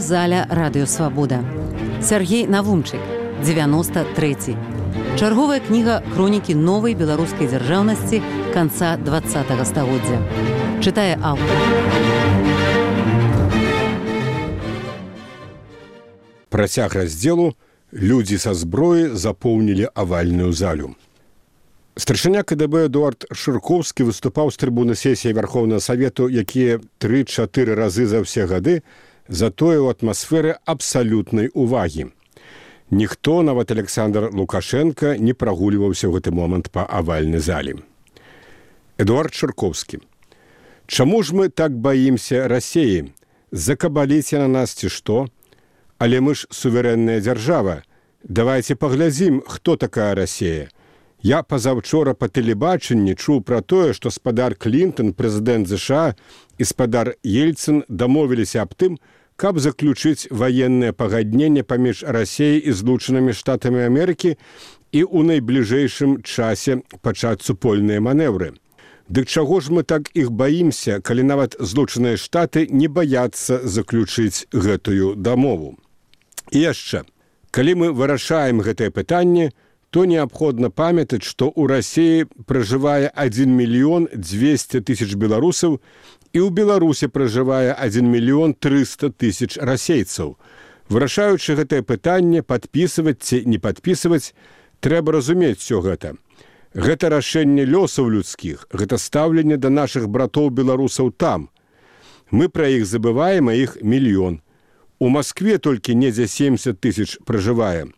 Аўдыёзаля Радыёсвабода. Сергей Навумчык, 93. Чарговая кніга хронікі новай беларускай дзяржаўнасці канца 20-го стагоддзя. Чытае аўтар. Працяг раздзелу «Людзі са зброі запоўнілі авальную залю». Старшыня КДБ Эдуард Шыркоўскі выступаў з трыбуны сесіі Вярхоўнага Савету, якія 3-4 разы за ўсе гады затое ў атмасферы абсалютнай увагі. Ніхто, нават Александр Лукашенко, не прагульваўся ў гэты момант па авальнай залі. Эдуард Шыркоўскі. Чаму ж мы так баімся Расіі? Закабаліце на нас ці што? Але мы ж суверэнная дзяржава. Давайце паглядзім, хто такая Расія. Я пазаўчора па тэлебачанні чуў пра тое, што спадар Клінтон, прэзідэнт ЗША, і спадар Ельцын дамовіліся аб тым, каб заключыць ваеннае пагадненне паміж Расіяй і Злучанымі Штатамі Амерыкі і ў найбліжэйшым часе пачаць супольныя манеўры. Дык чаго ж мы так іх баімся, калі нават Злучаныя Штаты не баяцца заключыць гэтую дамову? І яшчэ, калі мы вырашаем гэтае пытанне, то неабходна памятаць, што ў Расіі пражывае 1 мільён 200 тысяч беларусаў і ў Беларусі пражывае 1 мільён 300 тысяч расейцаў. Вырашаючы гэтае пытанне, падпісваць ці не падпісваць, трэба разумець усё гэта. Гэта рашэнне лёсаў людскіх, гэта стаўленне да нашых братоў-беларусаў там. Мы пра іх забываем, а іх мільён. У Маскве толькі недзе 70 тысяч пражывае.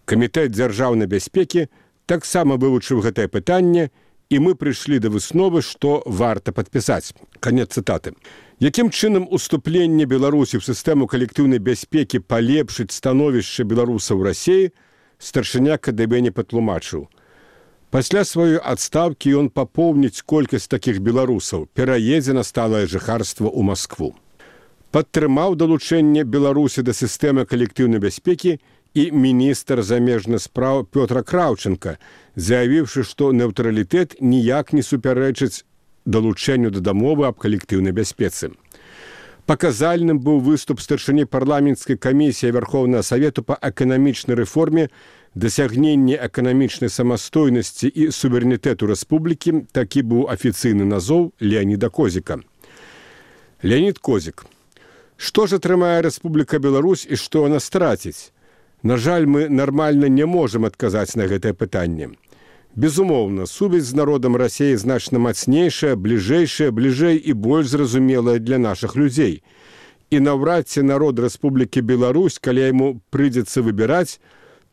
Камітэт дзяржаўнай бяспекі таксама вывучыў гэтае пытанне, і мы прыйшлі да высновы, што варта падпісаць. Канец цытаты. Якім чынам уступленне Беларусі ў сістэму калектыўнай бяспекі палепшыць становішча беларусаў у Расіі, старшыня КДБ не патлумачыў. Пасля сваёй адстаўкі ён папоўніць колькасць такіх беларусаў, пераедзе на сталае жыхарства ў Маскву. Падтрымаў далучэнне Беларусі да сістэмы калектыўнай бяспекі і міністр замежных спраў Пётр Краўченка, заявіўшы, што нейтралітэт ніяк не супярэчыць далучэнню да дамовы аб калектыўнай бяспецы. Паказальным быў выступ старшыні парламенцкай камісіі Вярхоўнага Савету па эканамічнай рэформе, дасягненні эканамічнай самастойнасці і суверэнітэту рэспублікі, такі быў афіцыйны назоў Леаніда Козіка. Леанід Козік. Што ж атрымае Рэспубліка Беларусь і што яна страціць? На жаль, мы нармальна не можам адказаць на гэтае пытанне. Безумоўна, сувязь з народам Расіі значна мацнейшая, бліжэй і больш зразумелая для нашых людзей. І наўрад ці народ Рэспублікі Беларусь, калі яму прыйдзецца выбіраць,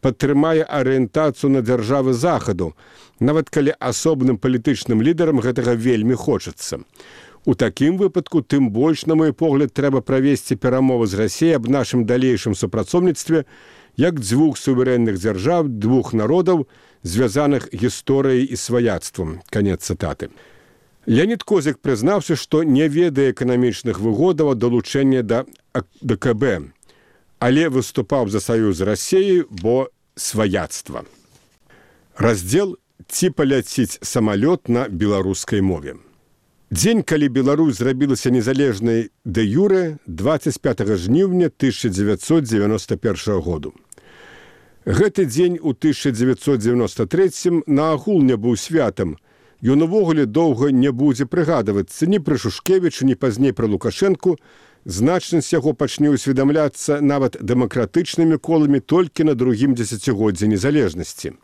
падтрымае арыентацыю на дзяржавы Захаду, нават калі асобным палітычным лідарам гэтага вельмі хочацца. У такім выпадку, тым больш, на мой погляд, трэба правесці перамовы з Расіяй аб нашым далейшым супрацоўніцтве як дзвюх суверэнных дзяржаў, двух народаў, звязаных гісторыяй і сваяцтвам. Канец цытаты. Леанід Козік прызнаўся, што не ведае эканамічных выгодаў ад далучэння да ДКБ, але выступаў за саюз з Расіяй, бо сваяцтва. Раздзел «Ці паляціць самалёт на беларускай мове». Дзень, калі Беларусь зрабілася незалежнай дэ юрэ, 25 жніўня 1991 году. Гэты дзень у 1993 наогул не быў святам. Ён увогуле доўга не будзе прыгадвацца ні пра Шушкевіча, ні пазней пра Лукашэнку. Значнасць яго пачне ўсведамляцца нават дэмакратычнымі коламі толькі на другім дзесяцігоддзі незалежнасці.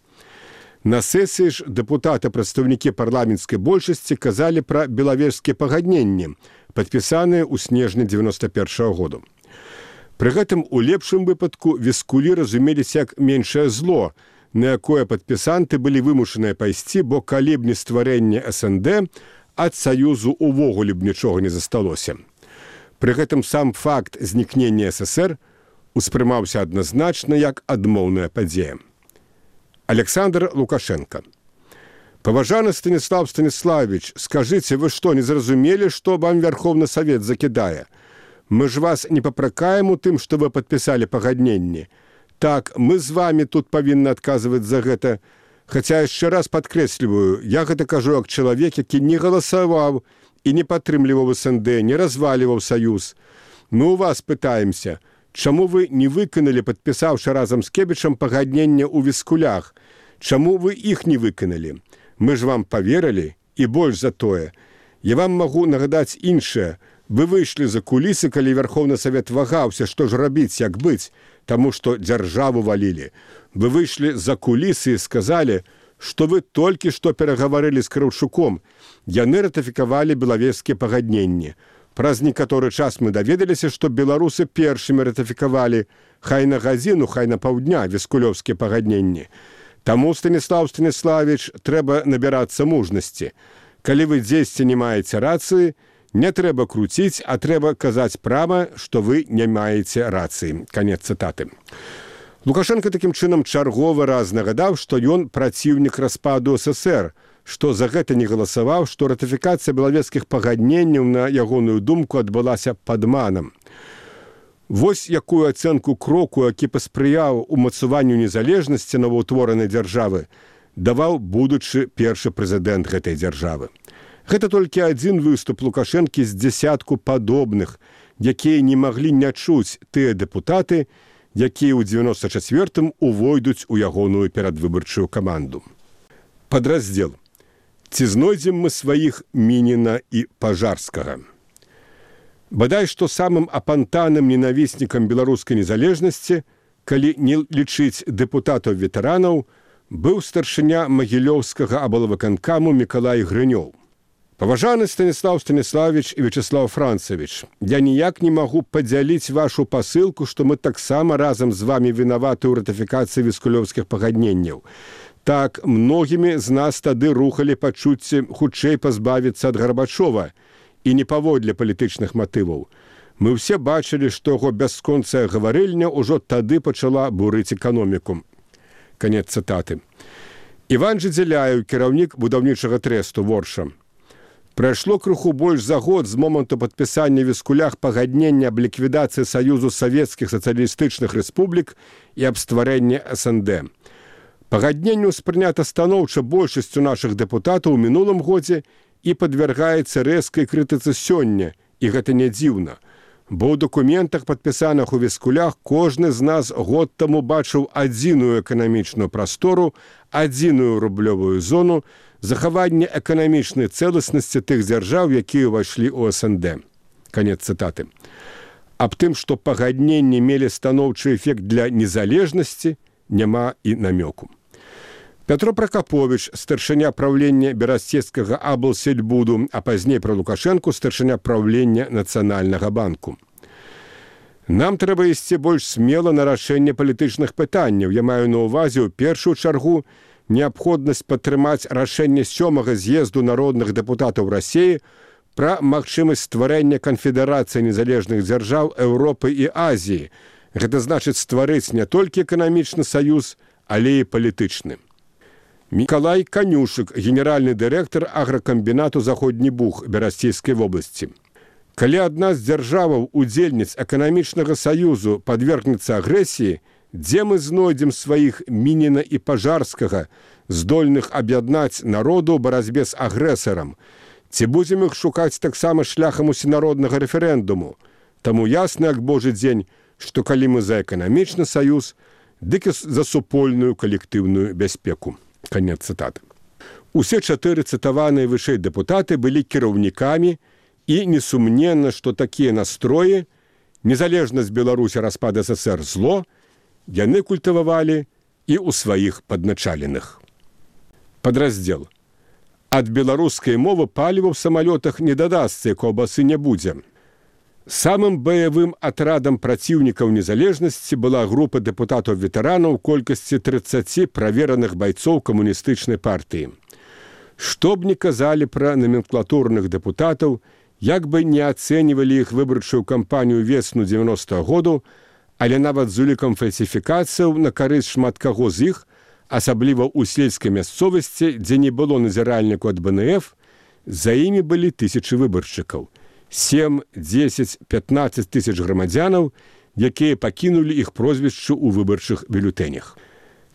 На сесіі ж дэпутаты-прадстаўнікі парламенцкай большасці казалі пра белавежскія пагадненні, падпісаныя ў снежні 91 году. Пры гэтым у лепшым выпадку віскулі разумеліся як меншае зло, на якое падпісанты былі вымушаныя пайсці, бо калі б не стварэнне СНД, ад саюзу увогуле б нічога не засталося. Пры гэтым сам факт знікнення ССР успрымаўся адназначна як адмоўная падзея. Александр Лукашенко. Паважаны Станіслав Станіславович, скажыце, вы што, не зразумелі, што вам Вярхоўны Савет закідае? Мы ж вас не папракаем у тым, што вы падпісалі пагадненні. Так, мы з вами тут павінны адказваць за гэта. Хаця яшчэ раз падкрэсліваю, я гэта кажу як чалавек, які не галасаваў і не падтрымліваў СНД, не разваліваў саюз. Мы у вас пытаемся, Чаму вы не выканалі, падпісаўшы разам з Кебічам пагаднення ў Віскулях? Чаму вы іх не выканалі? Мы ж вам паверылі, і больш за тое. Я вам магу нагадаць іншае. Вы выйшлі за кулісы, калі Верховны Савет вагаўся, што ж рабіць, як быць, таму што дзяржаву валілі. Вы выйшлі за кулісы і сказалі, што вы толькі што перагаварылі з Краўчуком. Яны ратыфікавалі белавежскія пагадненні. Праз некаторы час мы даведаліся, што беларусы першымі ратыфікавалі хай на гадзіну, хай на паўдня віскулёўскія пагадненні. Таму, Станіслав Станіславіч, трэба набірацца мужнасці. Калі вы дзесьці не маеце рацыі, не трэба круціць, а трэба казаць прама, што вы не маеце рацыі. Канец цытаты. Лукашенко такім чынам чарговы раз нагадаў, што ён праціўнік распаду СССР, што за гэта не галасаваў, што ратыфікацыя белавежскіх пагадненняў, на ягоную думку, адбылася падманам. Вось якую ацэнку кроку, які паспрыяў умацаванню незалежнасці новаўтворанай дзяржавы, даваў будучы першы прэзідэнт гэтай дзяржавы. Гэта толькі адзін выступ Лукашэнкі з дзясятку падобных, якія не маглі не чуць тыя дэпутаты, якія ў 94-м увойдуць у ягоную перадвыбарчую каманду. Падраздзел. Ці знойдзем мы сваіх Мініна і Пажарскага? Бадай, што самым апантаным ненавіснікам беларускай незалежнасці, калі не лічыць дэпутатаў-ветэранаў, быў старшыня Магілёўскага аблвыканкаму Мікалай Грынёў. Паважаны Станіслав Станіславіч і Вячеслав Францавіч, я ніяк не магу падзяліць вашу пасылку, што мы таксама разам з вамі вінаваты ў ратыфікацыі віскулёўскіх пагадненняў. Так, многімі з нас тады рухалі пачуцці хутчэй пазбавіцца ад Гарбачова і не паводле палітычных матываў. Мы ўсе бачылі, што яго бясконцая гаварыльня ўжо тады пачала бурыць эканоміку. Канец цытаты. Іван Жыдзеляеў, кіраўнік будаўнічага трэсту Ворша. Прайшло крыху больш за год з моманту падпісання Віскулях пагаднення аб ліквідацыі Саюзу Савецкіх сацыялістычных рэспублік і аб стварэнні СНД. Пагадненне ўспрынята станоўча большасцю нашых дэпутатаў у мінулым годзе і падвяргаецца рэзкай крытыцы сёння, і гэта не дзіўна. Бо ў дакументах, падпісаных у Віскулях, кожны з нас год таму бачыў адзіную эканамічную прастору, адзіную рублёвую зону, захаванне эканамічнай цэласнасці тых дзяржаў, якія ўвайшлі ў СНД. Канец цытаты. Аб тым, што пагадненні мелі станоўчы эфект для незалежнасці, няма і намёку. Пятро Пракапович, старшыня праўлення Берасцецкага аблсельбуду, а пазней пра Лукашэнку старшыня праўлення Нацыянальнага банку. Нам трэба ісці больш смела на рашэнне палітычных пытанняў. Я маю на ўвазе ў першую чаргу неабходнасць падтрымаць рашэнне 7-га з'езду народных дэпутатаў Расіі пра магчымасць стварэння канфедэрацыі незалежных дзяржаў Еўропы і Азіі. Гэта значыць стварыць не толькі эканамічны саюз, але і палітычны. Мікалай Канюшык, генеральны дырэктар агракамбінату «Заходні Буг» Берасцейскай вобласці. Калі адна з дзяржаваў удзельніц эканамічнага саюзу падвергнецца агрэсіі, дзе мы знойдзем сваіх Мініна і Пажарскага, здольных аб'яднаць народу ў барацьбе з агрэсарам? Ці будзем іх шукаць таксама шляхам усенароднага рэферэндуму? Таму ясна, як божы дзень, што калі мы за эканамічны саюз, дык і за супольную калектыўную бяспеку. Канец цытаты. Усе 4 цытаваныя вышэй дэпутаты былі кіраўнікамі, і несумненна, што такія настроі, незалежнасць Беларусі, распад СССР зло, яны культывавалі і ў сваіх падначаленых. Падраздзел. Ад беларускай мовы паліва ў самалётах не дадасца, і каўбасы не будзе. Самым баявым атрадам праціўнікаў незалежнасці была група дэпутатаў-ветэранаў у колькасці 30 правераных байцоў камуністычнай партыі. Што б ні казалі пра номенклатурных дэпутатаў, як бы не ацэньвалі іх выбарчую кампанію весну 90-го году, але нават з улікам фальсіфікацыяў на карысць шмат каго з іх, асабліва ў сельскай мясцовасці, дзе не было назіральніку ад БНФ, за імі былі тысячы выбаршчыкаў. 7, 10, 15 тысяч грамадзянаў, якія пакінулі іх прозвішчы ў выбарчых бюлетэнях.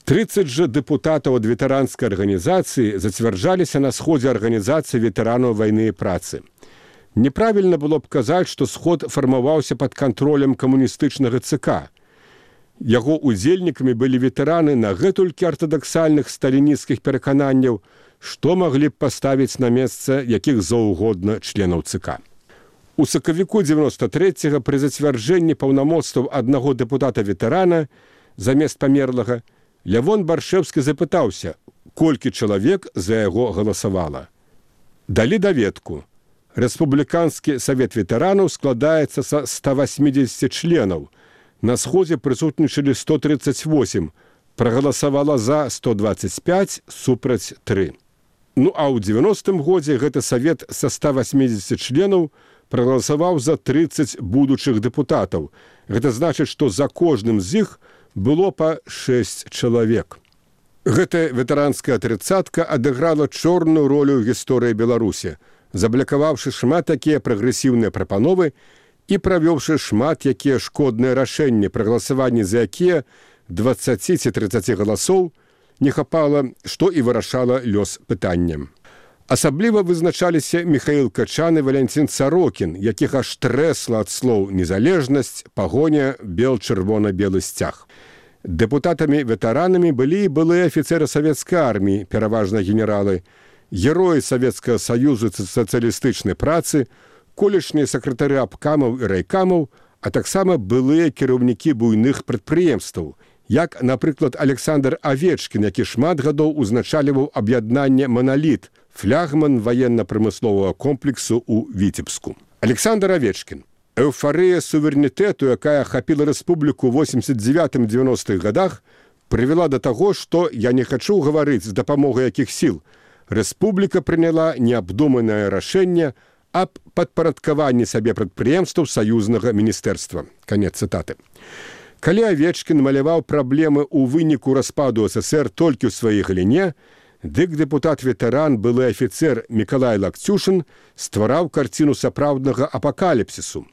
30 жа дэпутатаў ад ветэранскай арганізацыі зацвярджаліся на сходзе арганізацыі ветэранаў вайны і працы. Неправільна было б казаць, што сход фармаваўся пад кантролем камуністычнага ЦК. Яго удзельнікамі былі ветэраны нагэтулькі артадаксальных сталінісцкіх перакананняў, што маглі б паставіць на месца якіх заўгодна членаў ЦК. У сакавіку 93-го пры зацвярджэнні паўнамоцтваў аднаго дэпутата-ветэрана замест памерлага Лявон Баршэўскі запытаўся, колькі чалавек за яго галасавала. Далі даведку. Рэспубліканскі савет ветэранаў складаецца са 180 членаў. На сходзе прысутнічалі 138, прагаласавала за 125, супраць 3. Ну а ў 90-м годзе гэты савет са 180 членаў прагаласаваў за 30 будучых дэпутатаў. Гэта значыць, што за кожным з іх было па 6 чалавек. Гэтая ветэранская трыццатка адыграла чорную ролю ў гісторыі Беларусі, заблакаваўшы шмат такія прагрэсіўныя прапановы і правёўшы шмат якія шкодныя рашэнні, прагаласаванні за якія 20 ці 30 галасоў не хапала, што і вырашала лёс пытанням. Асабліва вызначаліся Міхаіл Качан і Валянцін Сарокін, якіх аж трэсла ад слоў незалежнасць, пагоня, бел-чырвона-белы сцяг. Дэпутатамі-ветэранамі былі і былыя афіцэры савецкай арміі, пераважна генералы, героі Савецкага Саюзу сацыялістычнай працы, колішнія сакратары абкамаў і райкамаў, а таксама былыя кіраўнікі буйных прадпрыемстваў, як, напрыклад, Александр Авечкін, які шмат гадоў узначальваў аб'яднанне «Монолит», флягман ваенна-прамысловага комплексу ў Віцебску. Александр Авечкін. Эўфарыя суверэнітэту, якая ахапіла рэспубліку ў 89-90-х гадах, прывяла да таго, што я не хачу гаварыць з дапамогай якіх сіл. Рэспубліка прыняла неабдуманае рашэнне аб падпарадкаванні сабе прадпрыемстваў саюзнага міністэрства. Канец цытаты. Калі Авечкін маляваў праблемы ў выніку распаду ССР толькі ў сваёй галіне, дык дэпутат-ветэран, былы афіцэр Мікалай Лакцюшын ствараў карціну сапраўднага апакаліпсісу.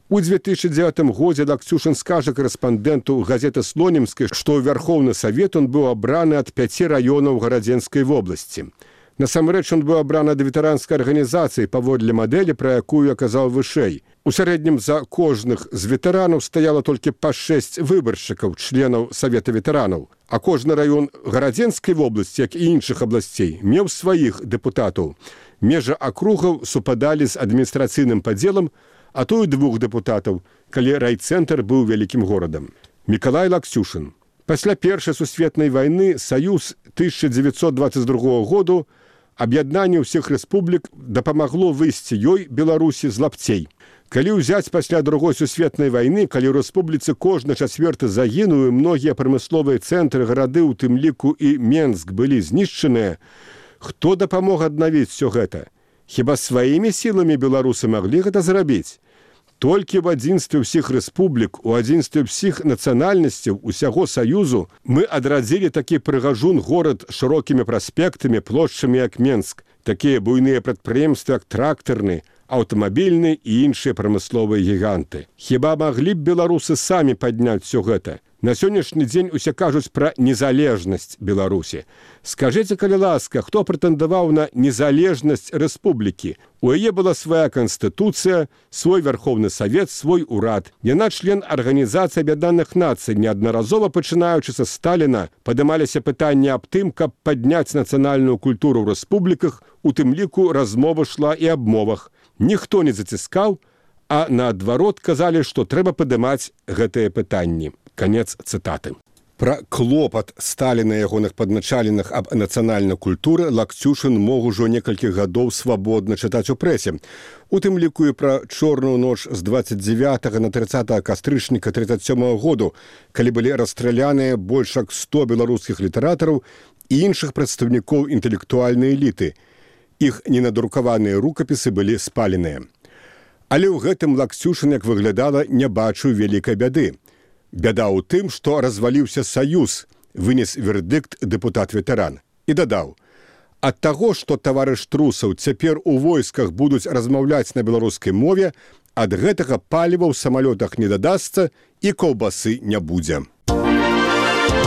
У 2009 годзе Лакцюшын скажа карэспандэнту газеты «Слонімскай», што ў Вярхоўны Савет он быў абраны ад 5 раёнаў Гарадзенскай вобласці. Насамрэч, он быў абраны ад ветэранскай арганізацыі паводле мадэлі, пра якую я казаў вышэй. У сярэднім за кожных з ветэранаў стаяла толькі па 6 выбаршчыкаў, членаў Савета ветэранаў. А кожны раён Гарадзенскай вобласці, як і іншых абласцей, меў сваіх дэпутатаў. Межы акругаў супадалі з адміністрацыйным падзелам, а то і 2 дэпутатаў, калі райцэнтр быў вялікім горадам. Мікалай Лакцюшын. Пасля Першай сусветнай вайны Саюз 1922 году аб'яднанне ўсіх рэспублік дапамагло выйсці ёй, Беларусі, з лапцей. Калі ўзяць пасля Другой сусветнай вайны, калі ў рэспубліцы кожны 4 загінуў, многія прамысловыя цэнтры, гарады, у тым ліку і Менск, былі знішчаныя, хто дапамог аднавіць усё гэта? Хіба сваімі сіламі беларусы маглі гэта зрабіць? Толькі в адзінстве ўсіх рэспублік, у адзінстве ўсіх нацыянальнасцяў, усяго Саюзу мы адрадзілі такі прыгажун горад шырокімі праспектамі, плошчамі, як Менск, такія буйныя прадпрыемствы, як трактарны, аўтамабільны і іншыя прамысловыя гіганты. Хіба маглі б беларусы самі падняць усё гэта? На сённяшні дзень усе кажуць пра незалежнасць Беларусі. Скажыце, калі ласка, хто прэтэндаваў на незалежнасць рэспублікі? У яе была свая канстытуцыя, свой Вярхоўны Савет, свой урад. Яна член Арганізацыі Аб'яднаных Нацый. Неаднаразова, пачынаючы са Сталіна, падымаліся пытанні аб тым, каб падняць нацыянальную культуру ў рэспубліках, у тым ліку размова шла і аб мовах. Ніхто не заціскаў, а наадварот казалі, што трэба падымаць гэтыя пытанні. Канец цытаты. Пра клопат Сталіна і ягоных падначаленых аб нацыянальнай культуры Лакцюшын мог ужо некалькі гадоў свабодна чытаць у прэсе. У тым ліку і пра чорную ноч з 29 на 30 кастрычніка 37 году, калі былі расстраляныя больш як 100 беларускіх літаратараў і іншых прадстаўнікоў інтэлектуальнай эліты. Іх ненадрукаваныя рукапісы былі спаленыя. Але ў гэтым Лакцюшын, як выглядала, не бачыў вялікай бяды. Бяда ў тым, што разваліўся Саюз, вынес вердыкт дэпутат-ветэран. І дадаў, ад таго, што таварыш Трусаў цяпер у войсках будуць размаўляць на беларускай мове, ад гэтага паліва ў самалётах не дадасца і каўбасы не будзе.